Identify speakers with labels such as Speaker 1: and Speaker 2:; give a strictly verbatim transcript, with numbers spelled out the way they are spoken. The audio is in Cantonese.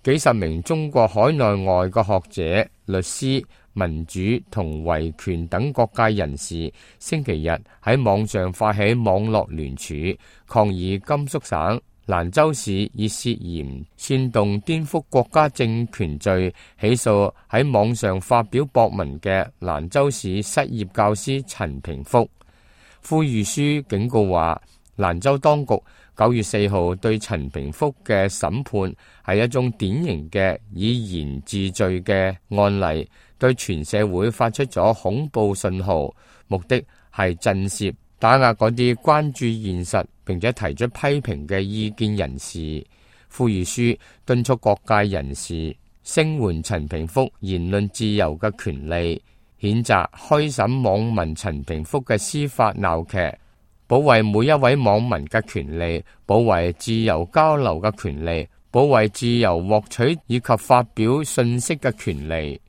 Speaker 1: 幾十名中國海內外嘅學者、律師、民主同維權等各界人士，星期日喺網上發起網絡聯署，抗議甘肅省蘭州市以涉嫌煽動顛覆國家政權罪起訴喺網上發表博文嘅蘭州市失業教師陳平福。呼籲書警告話，蘭州當局九月四號對陳平福嘅審判係一宗典型嘅以言治罪嘅案例，對全社會發出咗恐怖信號，目的係震懾打壓嗰啲關注現實並且提出批評嘅意見人士。呼籲書敦促各界人士聲援陳平福言論自由嘅權利，譴責開審網民陳平福嘅司法鬧劇，保衛每一位網民嘅權利，保衛自由交流嘅權利，保衛自由獲取以及發表信息嘅權利。